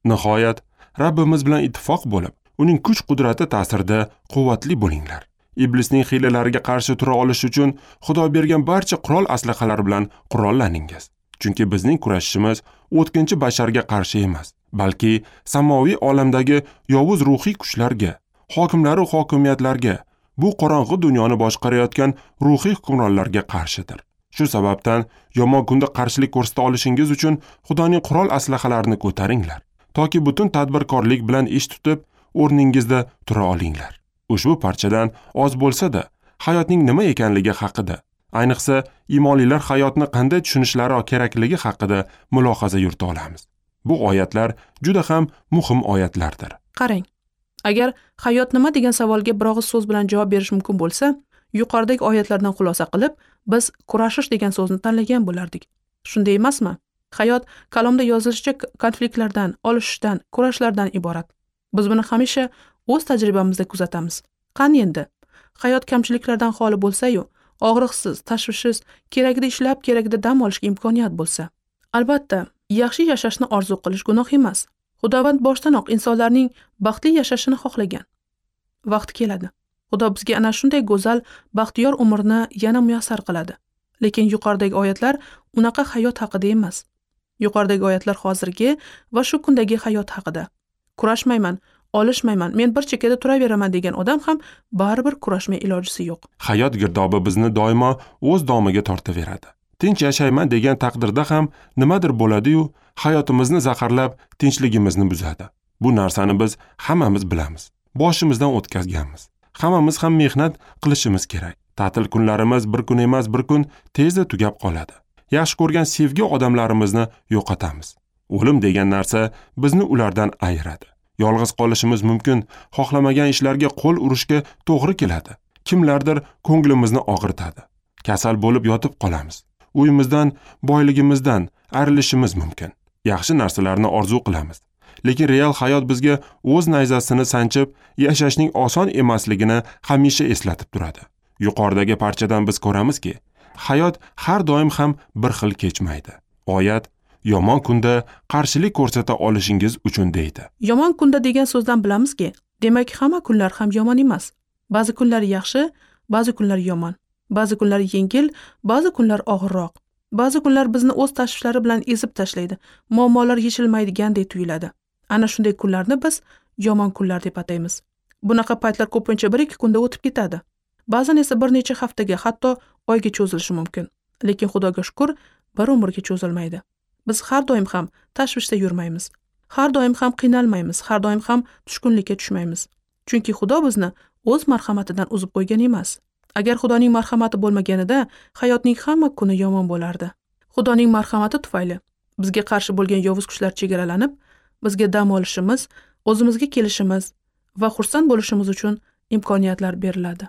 Nihoyat, Rabbimiz bilan ittifoq bo'lib, uning kuch-qudrati ta'sirida quvvatli bo'linglar. Iblisning hiylalariga qarshi tura olish uchun Xudo bergan barcha qurol aslahalar bilan qurollaningiz. Chunki bizning kurashishimiz o'tkinchi basharga qarshi emas, balki samoviy olamdagi yovuz ruhiy kuchlarga, hokimlar va hokimiyatlarga, bu qorong'i dunyoni boshqarayotgan ruhiy hukmronlarga qarshidir. Shu sababdan yomon kunda qarshilik ko'rsata olishingiz uchun Xudoning qurol aslahalarini ko'taringlar, toki butun tadbirkorlik bilan ish tutib, o'rningizda tura olinglar. Ushbu parchadan oz bo'lsa-da, hayotning nima ekanligi haqida, ayniqsa iymonlilar hayotni qanday tushunishlari kerakligi haqida mulohaza yurita olamiz. Bu oyatlar juda ham muhim oyatlardir. Qarang, agar hayot nima degan savolga bir og'iz so'z bilan javob berish mumkin bo'lsa, yuqoridagi oyatlardan xulosa qilib, biz kurashish degan so'zni tanlagan bo'lardik. Shunday emasmi? Hayot kalomda yozilishicha konfliktlardan, olishishdan, kurashlardan iborat. Biz buni hamisha o'z tajribamizda kuzatamiz. Qani endi? Hayot kamchiliklardan xoli bo'lsa-yu, og'riqsiz, tashvishsiz, keragida ishlab, keragida dam olishga imkoniyat bo'lsa. Albatta, yaxshi yashashni orzu qilish gunoh emas. Xudovand boshdanoq insonlarning baxtli yashashini xohlagan. Vaqt keladi. Xudo bizga ana shunday go'zal, baxtiyor umrni yana muyassar qiladi. Lekin yuqoridagi oyatlar unaqa hayot haqida emas. Yuqoridagi oyatlar hozirgi va shu kundagi hayot haqida. Kurashmayman, olishmayman, men bir chekkada turaveraman degan odam ham baribir kurashmay ilojisi yo'q. Hayot girdobi bizni doimo o'z domiga tortaveradi. Tinch yashayman degan taqdirda ham nimadir bo'ladi-yu, hayotimizni zaharlab, tinchligimizni buzadi. Bu narsani biz hammamiz bilamiz. Boshimizdan o'tkazganmiz. Hammamiz ham mehnat qilishimiz kerak. Ta'til kunlarimiz bir kun emas, bir kun tezda tugab qoladi. Yaxshi ko'rgan sevgi odamlarimizni yo'qotamiz. O'lim degan narsa bizni ulardan ayiradi. Yolg'iz qolishimiz mumkin, xohlamagan ishlarga qo'l urishga to'g'ri keladi. Kimlardir ko'nglimizni og'ritadi. Kasal bo'lib yotib qolamiz. Uyimizdan, boyligimizdan ayrilishimiz mumkin. Yaxshi narsalarni orzu qilamiz. Lekin real hayot bizga o'z nayzasini sanchib, yashashning oson emasligini hamisha eslatib turadi. Yuqoridagi parchadan biz ko'ramizki, hayot har doim ham bir xil kechmaydi. Oyat yomon kunda qarshilik ko'rsata olishingiz uchun deydi. Yomon kunda degan so'zdan bilamizki, demak hamma kunlar ham yomon emas. Ba'zi kunlar yaxshi, ba'zi kunlar yomon. Ba'zi kunlar yengil, ba'zi kunlar og'irroq. Ba'zi kunlar bizni o'z tashvishlari bilan ezib tashlaydi. Muammolar yechilmaydigandek tuyuladi. Ana shunday kunlarni biz yomon kunlar deb ataymiz. Bunaqa paytlar ko'pincha 1-2 kunda o'tib ketadi. Ba'zan esa bir necha haftaga, hatto oyga cho'zilishi mumkin. Lekin Xudoga shukr, bir umrga cho'zilmaydi. Biz har doim ham tashvishda yurmaymiz. Har doim ham qiynalmaymiz, har doim ham tushkunlikka tushmaymiz. Chunki Xudo bizni o'z marhamatidan uzib qo'ygan emas. Agar Xudoning marhamati bo'lmaganida, hayotning hamma kuni yomon bo'lardi. Xudoning marhamati tufayli bizga qarshi bo'lgan yovuz kuchlar chegaralanib, bizga dam olishimiz, o'zimizga kelishimiz va xursand bo'lishimiz uchun imkoniyatlar beriladi.